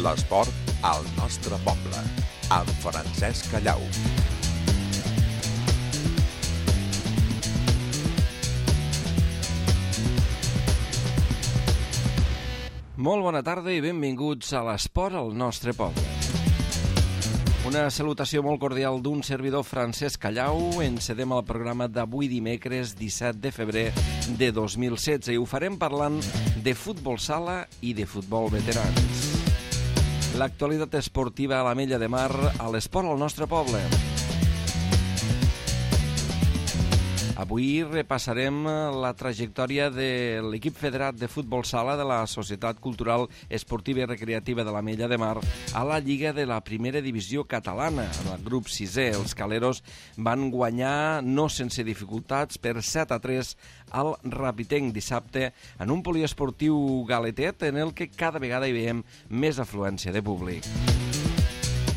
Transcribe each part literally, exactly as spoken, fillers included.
L'esport al nostre poble, amb Francesc Callau. Molt bona tarda i benvinguts a l'esport al nostre poble. Una salutació molt cordial d'un servidor, Francesc Callau. Encedem el programa d'avui dimecres disset de febrer de dos mil setze i ho farem parlant de futbol sala i de futbol veterans. L'actualitat esportiva a l'Ametlla de Mar, a l'esport al nostre poble. Avui repassarem la trajectòria de l'equip federat de futbol sala de la Societat Cultural Esportiva i Recreativa de l'Ametlla de Mar a la Lliga de la Primera Divisió Catalana. En el grup sisè, els caleros van guanyar, no sense dificultats, per set a tres al Rapitenc dissabte en un poliesportiu galetet en el que cada vegada hi veiem més afluència de públic.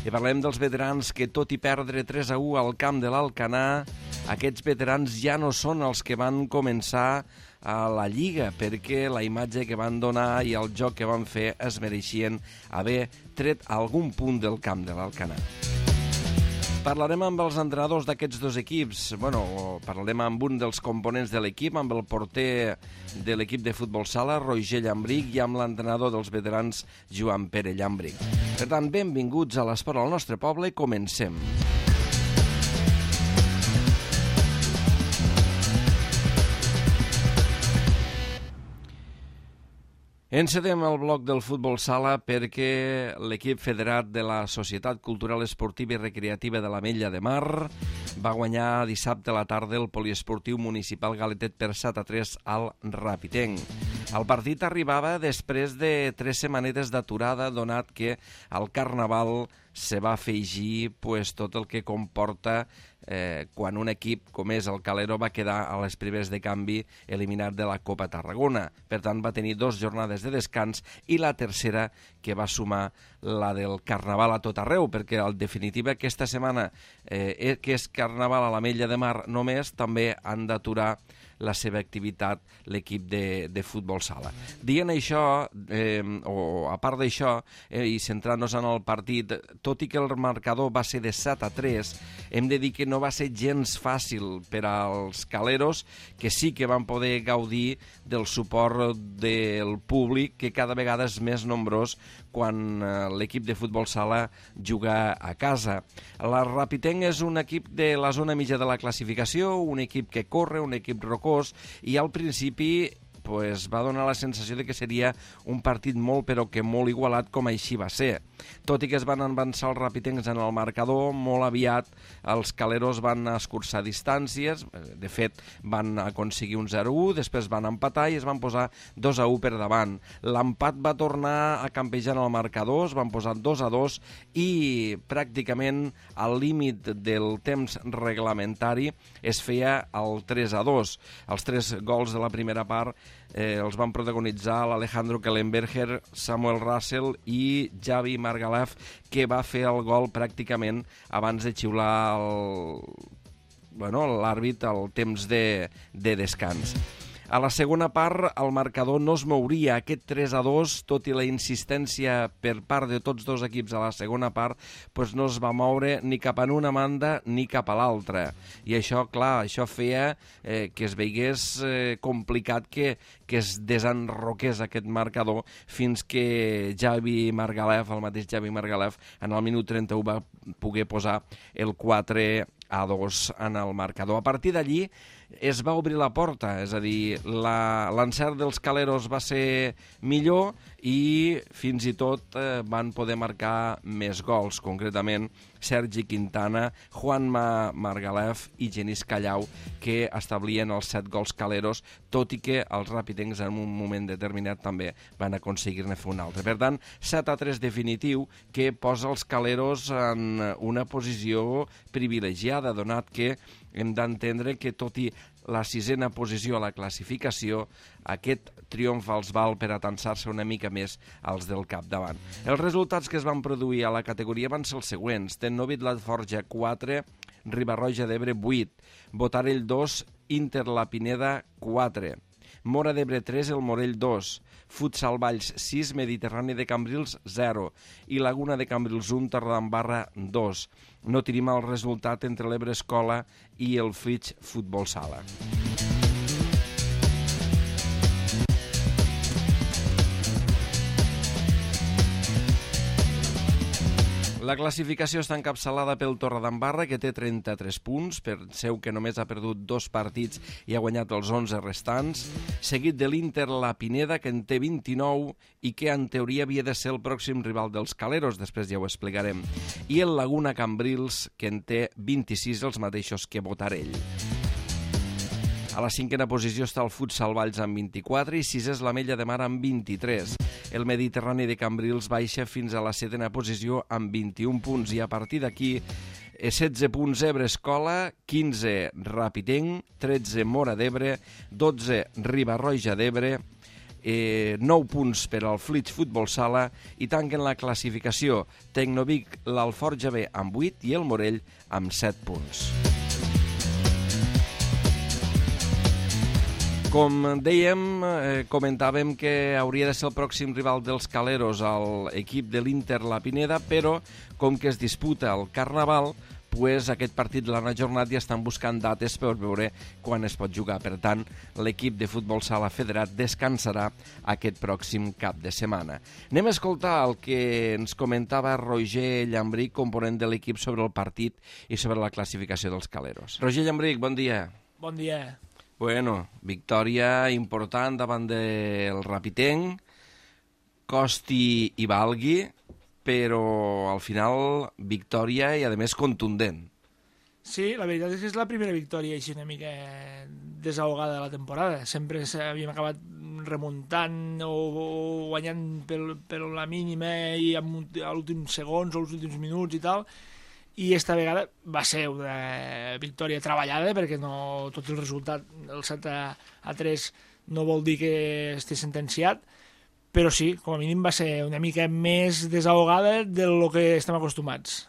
I parlem dels veterans que, tot i perdre tres a u al camp de l'Alcanar, aquests veterans ja no són els que van començar a la Lliga, perquè la imatge que van donar i el joc que van fer es mereixien haver tret algun punt del camp de l'Alcanar. Parlarem amb els entrenadors d'aquests dos equips. Bueno, parlarem amb un dels components de l'equip, amb el porter de l'equip de futbol sala, Roger Llambric, i amb l'entrenador dels veterans, Joan Pere Llambric. Per tant, benvinguts a l'esport al nostre poble i comencem. Encedem el bloc del futbol sala perquè l'equip federat de la Societat Cultural Esportiva i Recreativa de l'Ametlla de Mar va guanyar dissabte a la tarda el poliesportiu municipal galetet per set a tres al Rapitenc. El partit arribava després de tres setmanetes d'aturada, donat que al Carnaval se va afegir pues, tot el que comporta eh, quan un equip com és el Calero va quedar a les primeres de canvi eliminat de la Copa Tarragona. Per tant, va tenir dues jornades de descans i la tercera que va sumar la del Carnaval a tot arreu, perquè en definitiva aquesta setmana eh, que és Carnaval a l'Ametlla de Mar només, també han d'aturar la seva activitat l'equip de, de futbol sala. Dient això, eh, o a part d'això, eh, i centrant-nos en el partit, tot i que el marcador va ser de set a tres, hem de dir que no va ser gens fàcil per als caleros, que sí que van poder gaudir del suport del públic, que cada vegada és més nombrós quan eh, l'equip de futbol sala juga a casa. La Rapitenc és un equip de la zona mitja de la classificació, un equip que corre, un equip rocós, i al principi pues, va donar la sensació de que seria un partit molt però que molt igualat, com així va ser. Tot i que es van avançar els rapitencs en el marcador, molt aviat els caleros van escurçar distàncies, de fet van aconseguir un zero a u, després van empatar i es van posar dos a u per davant. L'empat va tornar a campejar en el marcador, es van posar dos a dos i pràcticament al límit del temps reglamentari es feia el tres a dos. Els tres gols de la primera part Eh, els van protagonitzar l'Alejandro Kellenberger, Samuel Russell i Javi Margalef, que va fer el gol pràcticament abans de xiular el, bueno, l'àrbit al temps de, de descans. A la segona part, el marcador no es mouria. Aquest tres a dos, tot i la insistència per part de tots dos equips a la segona part, pues no es va moure ni cap en una banda ni cap a l'altra. I això, clar, això feia eh, que es veigués eh, complicat que, que es desenroqués aquest marcador fins que Javi Margalef, el mateix Javi Margalef, en el minut trenta-u va poder posar el quatre a dos en el marcador. A partir d'allí es va obrir la porta, és a dir, l'encert dels caleros va ser millor i fins i tot eh, van poder marcar més gols, concretament Sergi Quintana, Juanma Margalef i Genís Callau, que establien els set gols caleros, tot i que els rapitencs en un moment determinat també van aconseguir-ne fer un altre. Per tant, set a tres definitiu, que posa els caleros en una posició privilegiada, donat que hem d'entendre que, tot i la sisena posició a la classificació, aquest triomf els val per atansar-se una mica més als del capdavant. Els resultats que es van produir a la categoria van ser els següents: Tennovit Latforja quatre, Riba-roja d'Ebre vuit, Botarell dos, Inter La Pineda quatre, Móra d'Ebre tres, el Morell dos, Futsal Valls sis, Mediterrani de Cambrils zero i Laguna de Cambrils un, Torredembarra dos. No tenim el resultat entre l'Ebre Escola i el Flix Futbol Sala. La classificació està encapçalada pel Torredembarra, que té trenta-tres punts, per seu que només ha perdut dos partits i ha guanyat els onze restants, seguit de l'Inter La Pineda, que en té vint-i-nou i que en teoria havia de ser el pròxim rival dels Caleros, després ja ho explicarem, i el Laguna Cambrils, que en té vint-i-sis, els mateixos que Botarell. A la cinquena posició està el Futsal Valls amb vint-i-quatre i sis és la Mella de Mar amb vint-i-tres. El Mediterrani de Cambrils baixa fins a la setena posició amb vint-i-un punts i a partir d'aquí setze punts Ebre Escola, quinze Rapitenc, tretze Móra d'Ebre, dotze Riba-roja d'Ebre, eh, nou punts per al Flix Futbol Sala i tanquen la classificació Tecnovic, l'Alforja B amb vuit i el Morell amb set punts. Com dèiem, eh, comentàvem que hauria de ser el pròxim rival dels Caleros a l'equip de l'Inter La Pineda, però com que es disputa el Carnaval, pues aquest partit de l'Anna Jornat ja estan buscant dates per veure quan es pot jugar. Per tant, l'equip de futbol sala federat descansarà aquest pròxim cap de setmana. Anem a escoltar el que ens comentava Roger Llambric, component de l'equip, sobre el partit i sobre la classificació dels Caleros. Roger Llambric, bon dia. Bon dia. Bueno, victòria important davant del Rapitenc, costi i valgui, però al final victòria i a més contundent. Sí, la veritat és que és la primera victòria així una mica desahogada de la temporada. Sempre havíem acabat remuntant o, o guanyant per, per la mínima i amb, a l'últim segons o els últims minuts i tal, i esta vegada va ser una victòria treballada perquè no, tot el resultat, el set a tres, no vol dir que estigui sentenciat, però sí, com a mínim va ser una mica més desahogada del que estem acostumats.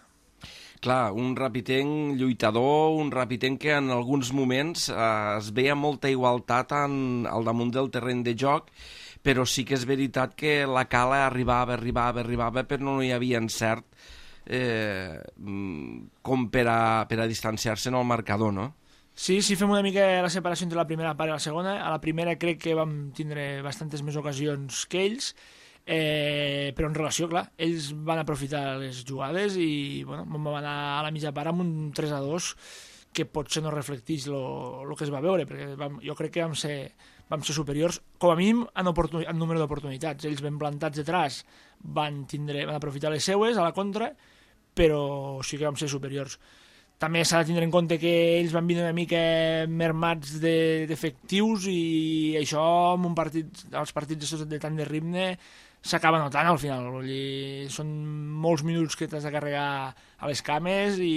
Clar, un Rapitenc lluitador, un Rapitenc que en alguns moments eh, es veia molta igualtat en, al damunt del terreny de joc, però sí que és veritat que la cala arribava, arribava, arribava, però no hi havia encert Eh, com per a, per a distanciar-se en el marcador, no? Sí, sí, fem una mica la separació entre la primera part i la segona. A la primera crec que vam tindre bastantes més ocasions que ells, eh, però en relació, clar, ells van aprofitar les jugades i bueno, vam anar a la mitja part amb un tres a dos que potser no reflecteix el que es va veure, perquè vam, jo crec que vam ser, vam ser superiors, com a mínim en, en número d'oportunitats. Ells ben plantats detrás van, tindre, van aprofitar les seues a la contra, però sí que vam ser superiors. També s'ha de tindre en compte que ells van vindre una mica mermats d'efectius de, i això en un partit, els partits de tant de ritme s'acaba notant al final. Vull dir, són molts minuts que t'has de carregar a les cames i,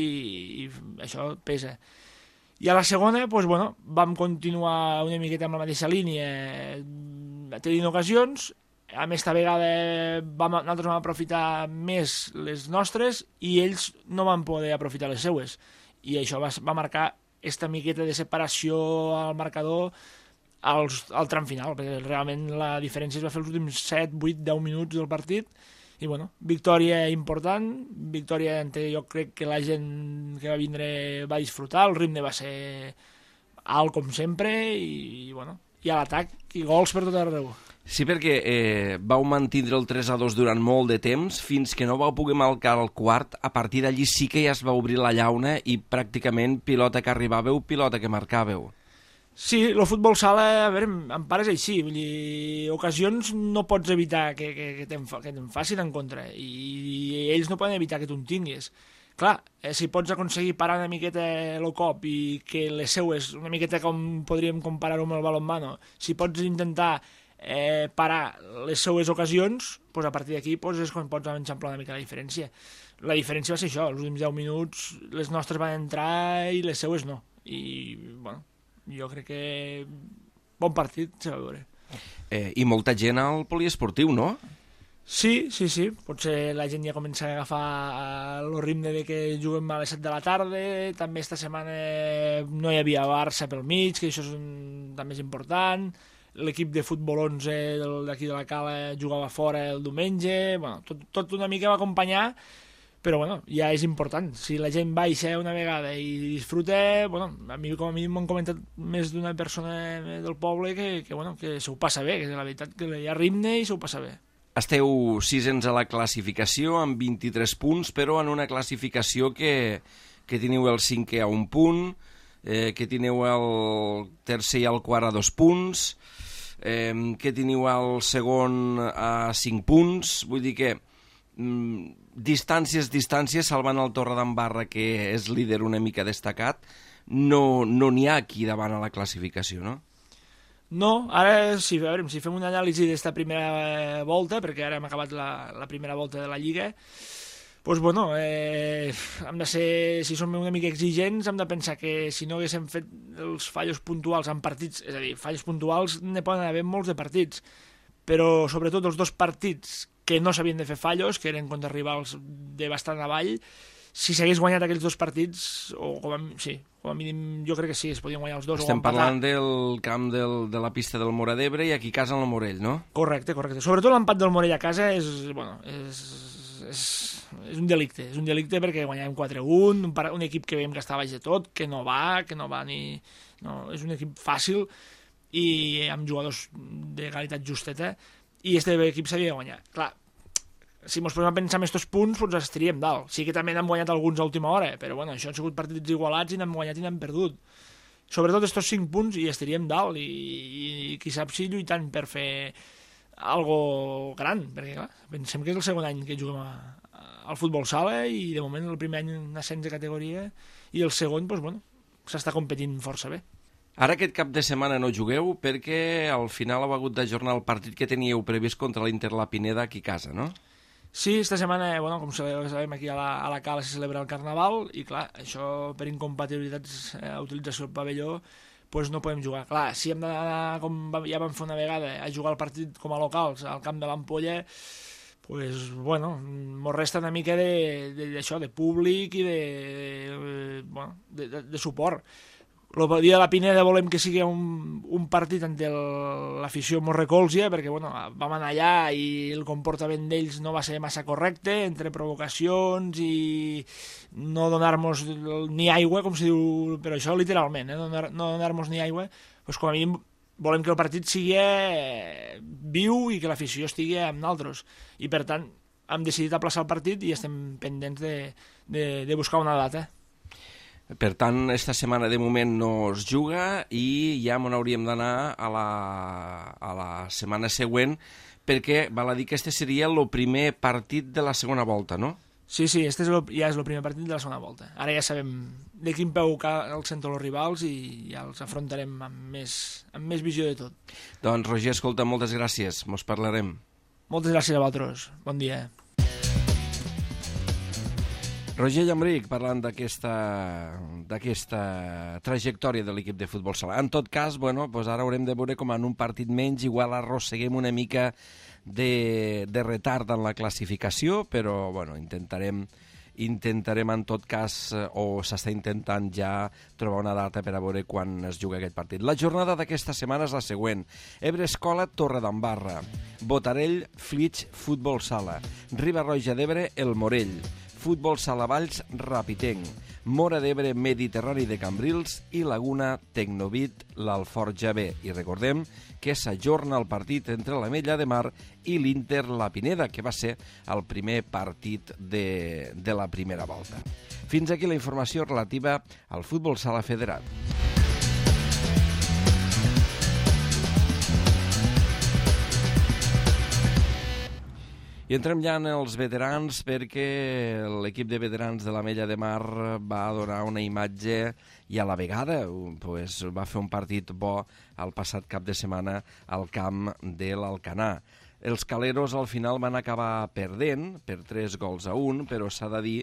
i això pesa. I a la segona, doncs, bueno, vam continuar una miqueta amb la mateixa línia, tenint ocasions. A més, esta vegada vam, nosaltres vam aprofitar més les nostres i ells no van poder aprofitar les seues. I això va, va marcar esta miqueta de separació al marcador als, al tram final, perquè realment la diferència es va fer els últims set, vuit, deu minuts del partit. I bueno, victòria important, victòria en què jo crec que la gent que va vindre va disfrutar, el ritme va ser alt com sempre i, i bueno, i a l'atac i gols per tot arreu. Sí, perquè eh, vau mantindre el tres a dos durant molt de temps, fins que no vau poder marcar el quart. A partir d'allí sí que ja es va obrir la llauna i pràcticament pilota que arribàveu, pilota que marcàveu. Sí, el futbol sala, a veure, en part és així, vull dir, ocasions no pots evitar que, que, que te'n fa, facin en contra, i, i ells no poden evitar que tu en tinguis. Clar, eh, si pots aconseguir parar una miqueta el cop i que les seues, una miqueta com podríem comparar-ho amb el balonmano, si pots intentar eh, parar les seues ocasions, doncs a partir d'aquí doncs és quan pots enxamplar una mica la diferència. La diferència va ser això, els últims deu minuts les nostres van entrar i les seues no. I, bueno, jo crec que bon partit se va veure. Eh, I molta gent al poliesportiu, no? Sí, sí, sí. Potser la gent ja comença a agafar el ritme de que juguem a les set de la tarda. També esta setmana no hi havia Barça pel mig, que això és un, també és important. l'equip de futbol onze d'aquí de la Cala jugava fora el diumenge, bueno, tot, tot una mica va acompanyar, però bueno, ja és important. Si la gent baixa una vegada i disfruta, bueno, a mi com a mínim m'han comentat més d'una persona del poble que, que, bueno, que se ho passa bé, que la veritat que hi ha ritme i se ho passa bé. Esteu sisens a la classificació amb vint-i-tres punts, però en una classificació que, que teniu el cinquè a un punt, eh, que teniu el tercer i el quart a dos punts, eh, que teniu el segon a cinc punts, vull dir que mm, distàncies, distàncies, salvant el Torredembarra, que és líder una mica destacat, no no n'hi ha aquí davant a la classificació, no? No, ara si, a veure, si fem una anàlisi d'esta primera volta, perquè ara hem acabat la, la primera volta de la Lliga, doncs bueno, eh, hem de ser, si som una mica exigents, hem de pensar que si no haguéssim fet els fallos puntuals en partits, és a dir, fallos puntuals ne poden haver molts de partits, però sobretot els dos partits que no s'havien de fer fallos, que eren contra rivals de bastant avall, si s'hagués guanyat aquells dos partits, o com a, sí, com a mínim jo crec que sí, es podien guanyar els dos. Estem o empatar. parlant del camp del, de la pista del Móra d'Ebre i aquí a casa en el Morell, no? Correcte, correcte. Sobretot l'empat del Morell a casa és, bueno, és, és, és un delicte, és un delicte perquè guanyàvem quatre a un, un, un equip que veiem que està baix de tot, que no va, que no va ni... No, és un equip fàcil i amb jugadors de qualitat justeta, i este equip s'havia de guanyar. Clar, si ens posem a pensar en aquests punts, doncs estaríem dalt. Sí que també n'hem guanyat alguns a última hora, però bueno, això han sigut partits igualats i n'hem guanyat i n'hem perdut. Sobretot aquests cinc punts i estaríem dalt, i, i qui sap si lluitant per fer algo gran, perquè clar, pensem que és el segon any que juguem a, a, al futbol sala i de moment el primer any en ascens de categoria i el segon, doncs bueno, s'està competint força bé. Ara aquest cap de setmana no jugueu perquè al final heu hagut d'ajornar el partit que teníeu previst contra l'Inter La Pineda aquí a casa, no? Sí, esta setmana, bueno, com sabem, aquí a la, a la Cala se celebra el Carnaval i, clar, això per incompatibilitats a eh, utilització del pavelló, pues no podem jugar. Clar, si hem d'anar, com ja vam fer una vegada, a jugar el partit com a locals al camp de l'Ampolla, pues, bueno, mos resta una mica de, de, d'això, de públic i de, de, bueno, de, de, de suport. El dia de la Pineda volem que sigui un, un partit en què l'afició mos recolzia, perquè bueno, vam anar allà i el comportament d'ells no va ser massa correcte, entre provocacions i no donar-nos ni aigua, com se diu, però això literalment, eh? Donar, no donar-nos ni aigua, doncs com a mínim volem que el partit sigui viu i que l'afició estigui amb nosaltres. I per tant hem decidit aplaçar el partit i estem pendents de, de, de buscar una data. Per tant, esta setmana de moment no es juga i ja m'on hauríem d'anar a la, a la setmana següent perquè val a dir que este seria el primer partit de la segona volta, no? Sí, sí, este és lo, ja és el primer partit de la segona volta. Ara ja sabem de quin peu els senten els rivals i ja els afrontarem amb més, amb més visió de tot. Doncs, Roger, escolta, moltes gràcies. Mos parlarem. Moltes gràcies a vosaltres. Bon dia. Roger Llambric, parlant d'aquesta d'aquesta trajectòria de l'equip de futbol sala. En tot cas, bueno, doncs ara haurem de veure com en un partit menys igual arrosseguem una mica de, de retard en la classificació, però bueno, intentarem intentarem en tot cas, o s'està intentant ja trobar una data per a veure quan es juga aquest partit. La jornada d'aquesta setmana és la següent. Ebre Escola, Torredembarra. Botarell, Flix, Futbol Sala. Riba-roja d'Ebre, El Morell. Futbol Sala Valls, Rapitenc, Móra d'Ebre, Mediterrani de Cambrils i Laguna, Tecnovit, l'Alforja B. I recordem que s'ajorna el partit entre l'Ametlla de Mar i l'Inter La Pineda, que va ser el primer partit de, de la primera volta. Fins aquí la informació relativa al futbol sala federat. I entrem ja en els veterans perquè l'equip de veterans de l'Ametlla de Mar va donar una imatge i a la vegada pues, va fer un partit bo el passat cap de setmana al camp de l'Alcanar. Els caleros al final van acabar perdent per tres gols a un, però s'ha de dir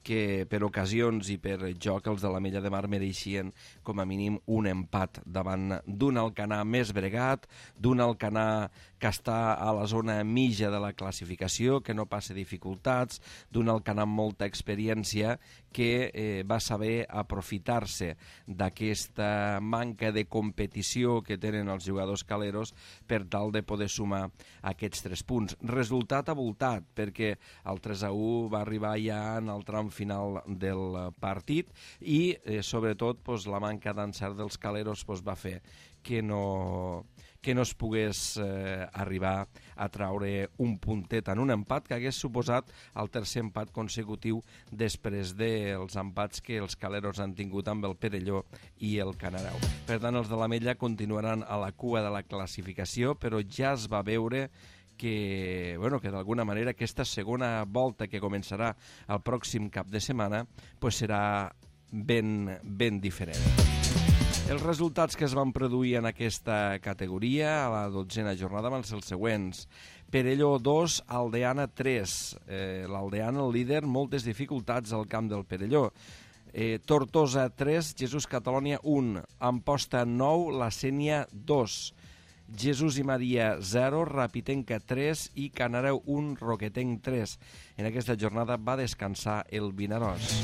que per ocasions i per joc els de l'Ametlla de Mar mereixien com a mínim un empat davant d'un Alcanar més bregat, d'un Alcanar que està a la zona mitja de la classificació, que no passa dificultats, d'un Alcanar amb molta experiència que eh, va saber aprofitar-se d'aquesta manca de competició que tenen els jugadors caleros per tal de poder sumar aquests tres punts. Resultat avoltat, perquè el tres a u va arribar ja en el tram final del partit i, eh, sobretot, pues, la manca d'encert dels caleros pues, va fer que no, que no es pogués eh, arribar a traure un puntet en un empat que hagués suposat el tercer empat consecutiu després dels empats que els caleros han tingut amb el Perelló i el Canareu. Per tant, els de l'Ametlla continuaran a la cua de la classificació, però ja es va veure que, bueno, que d'alguna manera aquesta segona volta que començarà el pròxim cap de setmana pues serà ben, ben diferent. Els resultats que es van produir en aquesta categoria a la dotzena jornada van ser els següents. Perelló dos, Aldeana tres. Eh, L'Aldeana, el líder, moltes dificultats al camp del Perelló. Eh, Tortosa tres, Jesús Catalònia un, Amposta nou, La Sénia dos. Jesús i Maria zero, Rapitenca tres i Canareu un, Roquetenc tres. En aquesta jornada va descansar el Vinaròs.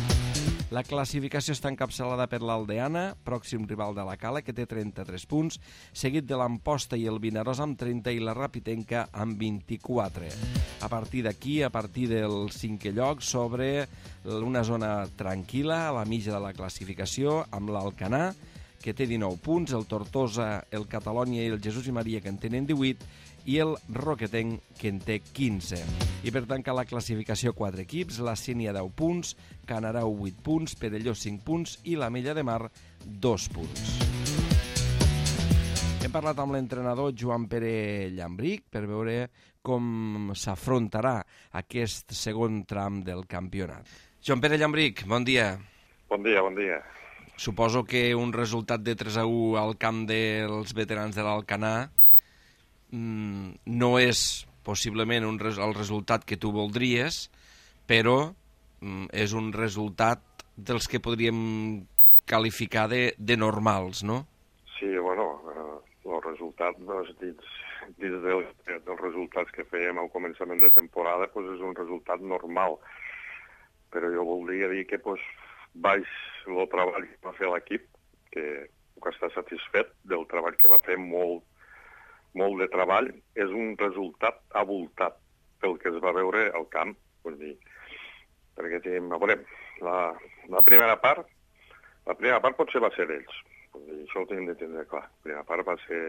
La classificació està encapçalada per l'Aldeana, pròxim rival de la Cala, que té trenta-tres punts, seguit de l'Amposta i el Vinaròs amb trenta i la Rapitenca amb vint-i-quatre. A partir d'aquí, a partir del cinquè lloc, s'obre una zona tranquil·la a la mitja de la classificació amb l'Alcanar, que té dinou punts, el Tortosa, el Catalònia i el Jesús i Maria, que en tenen divuit, i el Roquetenc, que en té quinze. I per tancar la classificació, quatre equips, la Sénia deu punts, Canareu vuit punts, Perelló cinc punts i l'Ametlla de Mar dos punts. Hem parlat amb l'entrenador Joan Pere Llambric per veure com s'afrontarà aquest segon tram del campionat. Joan Pere Llambric, bon dia. Bon dia, bon dia. Suposo que un resultat de tres a u al camp dels veterans de l'Alcanar mmm, no és possiblement un res el resultat que tu voldries, però mmm, és un resultat dels que podríem qualificar de, de normals, no? Sí, bueno, eh, el resultat doncs, dins, dins del, dels resultats que fèiem al començament de temporada doncs, és un resultat normal, però jo voldria dir que doncs, baix el treball que va fer l'equip, que puc estar satisfet del treball que va fer, molt, molt de treball, és un resultat avoltat pel que es va veure al camp. Vull dir, perquè tenim, a veure, la, la primera part, la primera part potser va ser d'ells. Vull dir, això ho tenim de tindre clar. La primera part va ser,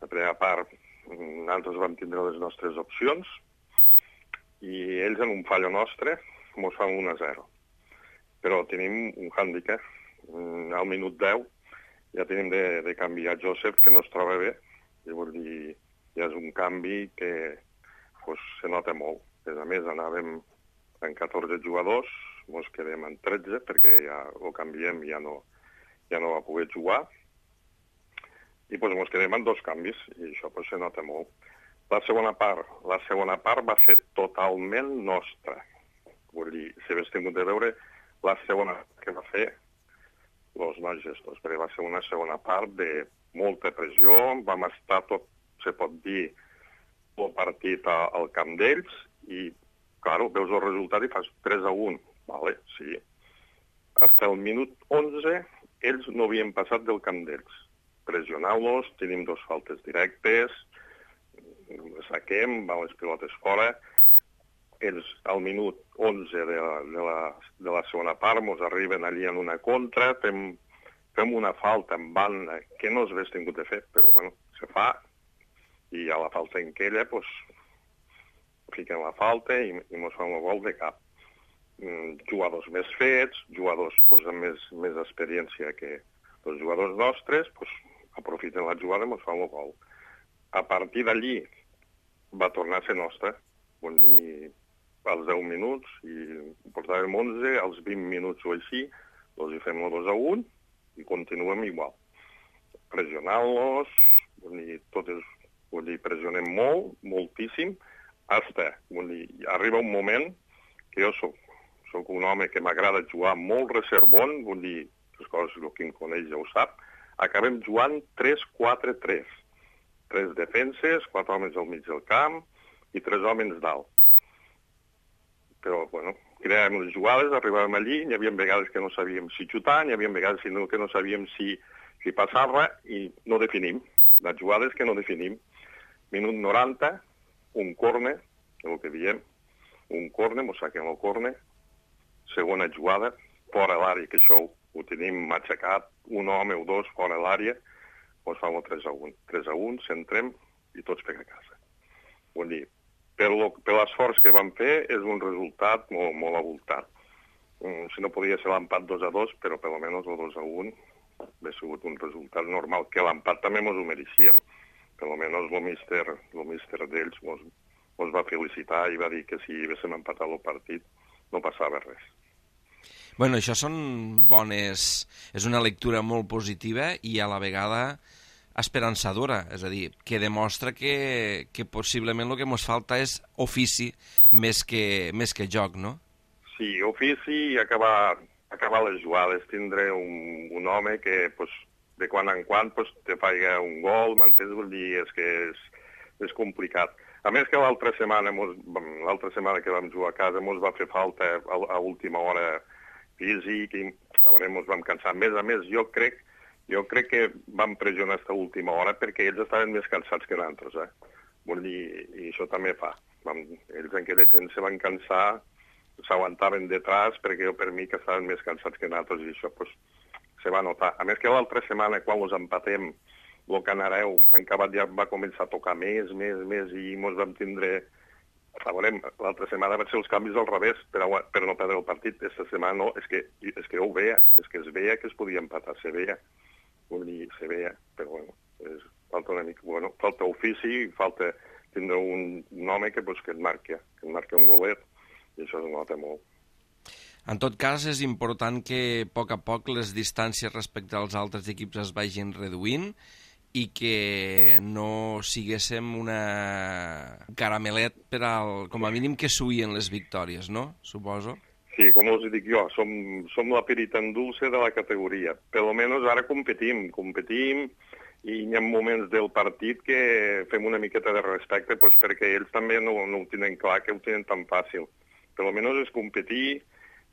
la primera part, nosaltres vam tindre les nostres opcions i ells en un fallo nostre ens fan un a zero. Però tenim un hàndicap. Al minut deu ja tenim de, de canviar Joseph, que no es troba bé. I vol dir, ja és un canvi que pues, se nota molt. A més, anàvem en catorze jugadors, ens quedem en tretze, perquè ja ho canviem i ja no, ja no va poder jugar. I pues, ens quedem en dos canvis, i això pues, se nota molt. La segona part, la segona part va ser totalment nostra. Vull dir, si hagués tingut de veure la segona que va fer els nois gestors, perquè va ser una segona part de molta pressió, vam estar tot, se pot dir, el partit al camp d'ells i, clar, veus el resultat i fas tres a un, vale, sí. Fins el minut onze ells no havien passat del camp d'ells. Pressionant-los, tenim dos faltes directes, saquem, van les pilotes fora. Ells, al minut onze de la, de la, de la segona part, ens arriben allí en una contra, fem, fem una falta en banda que no s'hagués tingut de fer, però bueno, se fa, i a la falta en aquella, doncs, fiquen la falta i, i ens fan el gol de cap. Mm, jugadors més fets, jugadors doncs, amb més, més experiència que els jugadors nostres, doncs, aprofiten la jugada i ens fan el gol. A partir d'allí va tornar a ser nostra, vull dir, als deu minuts, i portàvem onze, als vint minuts o així, doncs hi fem el dos a un i continuem igual. Pressionant-los, vull dir, tot és, vull dir, pressionem molt, moltíssim, hasta, vull dir, arriba un moment que jo soc, soc un home que m'agrada jugar molt reservon, vull dir, les coses el que em coneix ja ho sap, acabem jugant tres quatre tres. Tres defenses, quatre homes al mig del camp i tres homes dalt. Però, bueno, creàvem les jugades, arribàvem allí, hi havia vegades que no sabíem si xutar, hi havia vegades que no sabíem si, si passar-la i no definim. Les jugades que no definim. Minut noranta, un córner, el que diem, un córner, mos saquem el córner, segona jugada, fora l'àrea, que això ho tenim matxacat, un home o dos fora l'àrea, mos fam el tres a un. tres a un, centrem i tots per a casa. Vull dir, per l'esforç que vam fer és un resultat molt, molt avoltat. Si no podia ser l'empat dos a dos, però per almenys el dos a un hauria sigut un resultat normal, que l'empat també mos ho mereixíem. Per almenys el míster, el míster d'ells mos, mos va felicitar i va dir que si haguéssim empatat el partit no passava res. Bueno, això són bones... És una lectura molt positiva i a la vegada esperançadora, és a dir, que demostra que, que possiblement el que ens falta és ofici més que, més que joc, no? Sí, ofici i acabar, acabar les jugades, tindre un, un home que pues, de quan en quan pues, te faig un gol, m'entens? Vull dir, és que és, és complicat. A més que l'altra setmana, l'altra setmana que vam jugar a casa, mos va fer falta a, a última hora físic i a veure, mos vam cansar. A més a més, jo crec, jo crec que vam pressionar aquesta última hora perquè ells estaven més cansats que nosaltres, eh? Vull dir, i això també fa. Vam, ells en aquella gent se van cansar, s'aguantaven detrás perquè jo per mi que estaven més cansats que nosaltres i això pues, se va notar. A més que l'altra setmana, quan ens empatem, el Canareu, en acabat ja va començar a tocar més, més, més, i ens vam tindre... A veure, l'altra setmana van ser els canvis al revés per, a, per no perdre el partit. Aquesta setmana no, és que, és que ho veia, és que es veia que es podia empatar, se veia. Vull dir, se veia, però bueno, és, falta una mica, bueno, falta ofici, falta tindre un, un home que, pues, que et marqui, que et marqui un golet, i això es nota molt. En tot cas, és important que a poc a poc les distàncies respecte als altres equips es vagin reduint i que no siguéssim una caramelet per al, com a mínim que suïen les victòries, no? Suposo. Sí, com us dic jo, som, som la peritan dulce de la categoria. Per almenys ara competim, competim i hi ha moments del partit que fem una miqueta de respecte pues, perquè ells també no, no ho tenen clar, que ho tenen tan fàcil. Per almenys és competir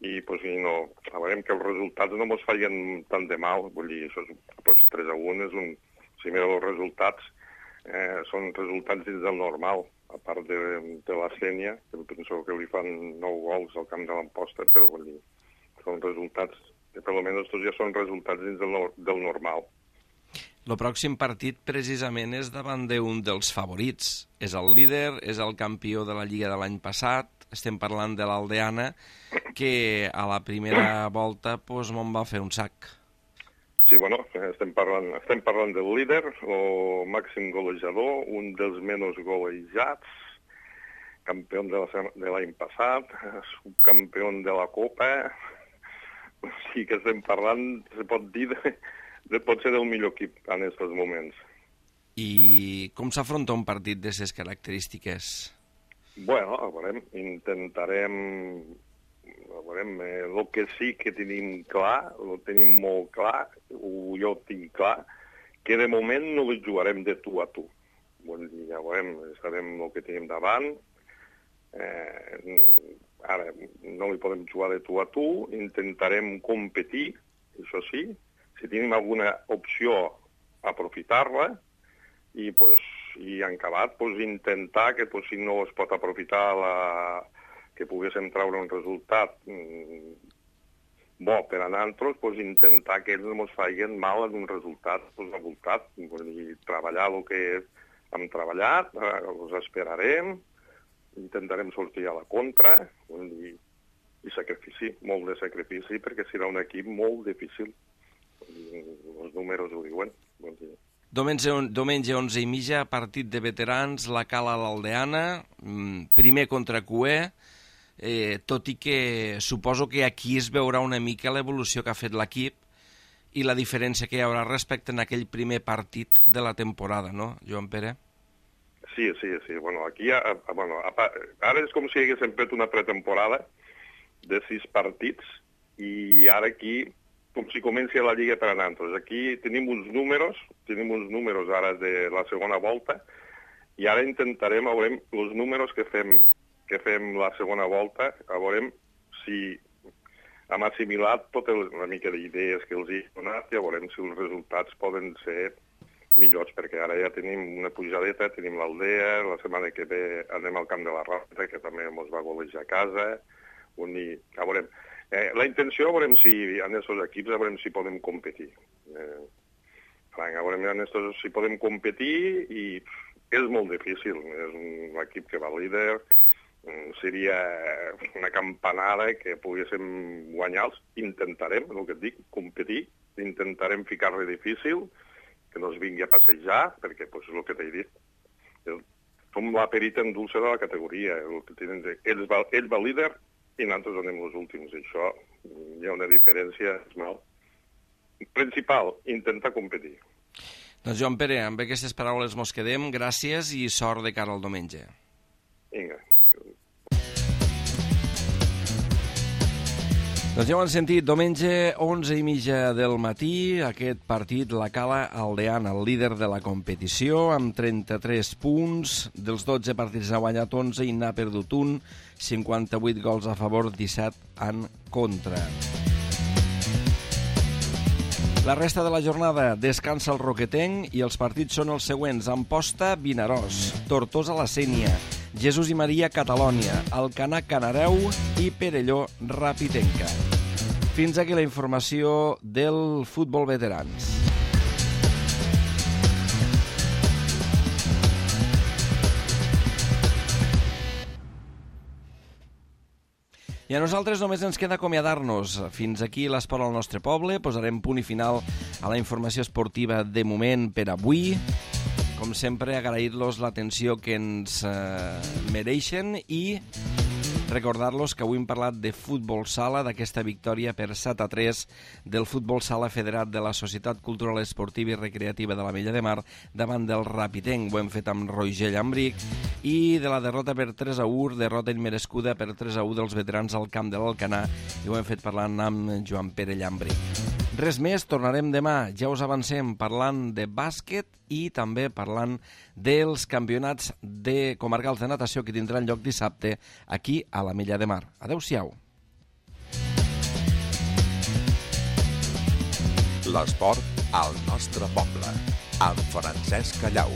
i, pues, i no, a veure que els resultats no ens feien tant de mal. Vull dir, això és, pues, tres a un és un... Si mireu els resultats, eh, són resultats dins del normal, a part de, de la Sènia, que penso que li fan nou gols al camp de l'Amposta, però vull dir, són resultats, que per almenys tots ja són resultats dins del, del normal. El pròxim partit precisament és davant d'un dels favorits. És el líder, és el campió de la Lliga de l'any passat, estem parlant de l'Aldeana, que a la primera volta pues, me'n va fer un sac. Sí, bueno, estem parlant, estem parlant del líder, el màxim golejador, un dels menys golejats, campió de l'any passat, subcampió de la Copa, o sigui que estem parlant, se pot dir, de, de pot ser del millor equip en aquests moments. I com s'afronta un partit d'aquestes característiques? Bueno, a veure, intentarem... A veure, el que sí que tenim clar, ho tenim molt clar, ho jo tinc clar, que de moment no li jugarem de tu a tu. Vull dir, ja veurem, sabem el que tenim davant, eh, ara no li podem jugar de tu a tu, intentarem competir, això sí, si tenim alguna opció, aprofitar-la, i, pues, i en acabat pues, intentar que pues, si no es pot aprofitar la... que poguéssim treure un resultat mm, bo per a nosaltres, pues, intentar que ells no ens facin mal en un resultat pues, avoltat. Vull dir, treballar el que hem treballat, eh, els esperarem, intentarem sortir a la contra, vull dir, i sacrifici, molt de sacrifici, perquè serà un equip molt difícil. Vull dir, els números ho diuen. Vull dir. Diumenge, diumenge onze i mitja, partit de veterans, la Cala a l'Aldeana, primer contra Cué, Eh, tot i que suposo que aquí es veurà una mica l'evolució que ha fet l'equip i la diferència que hi haurà respecte a aquell primer partit de la temporada, no, Joan Pere? Sí, sí, sí. Bueno, aquí, ha, bueno, ara és com si haguéssim fet una pretemporada de sis partits i ara aquí, com si comenci la Lliga per a nosaltres. Aquí tenim uns números, tenim uns números ara de la segona volta i ara intentarem, veurem, els números que fem, que fem la segona volta, veurem si hem assimilat tota una mica d'idees que els he donat i veurem si els resultats poden ser millors, perquè ara ja tenim una pujadeta, tenim l'Aldea, la setmana que ve anem al Camp de la Roca, que també ens va golejar a casa, on hi... A veurem. Eh, la intenció, a veurem si en aquests equips, a veurem si podem competir. Eh, franc, a veurem en estos, si podem competir i és molt difícil. És un equip que va líder, seria una campanada que poguéssim guanyar-los. Intentarem, el que et dic, competir, intentarem ficar-li difícil, que no es vingui a passejar, perquè pues, és el que t'he dit. El, som la perita en dulce de la categoria. El que tenen, ell, va, ell va líder i nosaltres anem els últims. Això hi ha una diferència. Mal. Principal, intentar competir. Doncs Joan Pere, amb aquestes paraules mos quedem. Gràcies i sort de cara al diumenge. Vinga. Doncs ja ho han sentit, diumenge, onze i mitja del matí, aquest partit la Cala Aldeana, el líder de la competició, amb trenta-tres punts, dels dotze partits n'ha guanyat onze i n'ha perdut un, cinquanta-vuit gols a favor, disset en contra. La resta de la jornada descansa el Roquetenc i els partits són els següents: Amposta, Vinaròs, Tortosa, la Sénia, Jesús i Maria, Catalònia, Alcanar, Canareu i Perelló, Rapitenca. Fins aquí la informació del futbol veterans. I a nosaltres només ens queda acomiadar-nos. Fins aquí l'Esport al nostre poble. Posarem punt i final a la informació esportiva de moment per avui. Com sempre, agrair-los l'atenció que ens eh, mereixen i recordar-los que avui hem parlat de futbol sala, d'aquesta victòria per set a tres del futbol sala federat de la Societat Cultural Esportiva i Recreativa de l'Ametlla de Mar davant del Rapitenc. Ho hem fet amb Roger Llambric. I de la derrota per tres a u, derrota immerescuda per tres a u dels veterans al camp de l'Alcanar, i ho hem fet parlant amb Joan Pere Llambric. Res més, tornarem demà, ja us avancem, parlant de bàsquet i també parlant dels campionats de comarcals de natació que tindran lloc dissabte aquí a l'Ametlla de Mar. Adéu-siau. L'esport al nostre poble, amb Francesc Callau.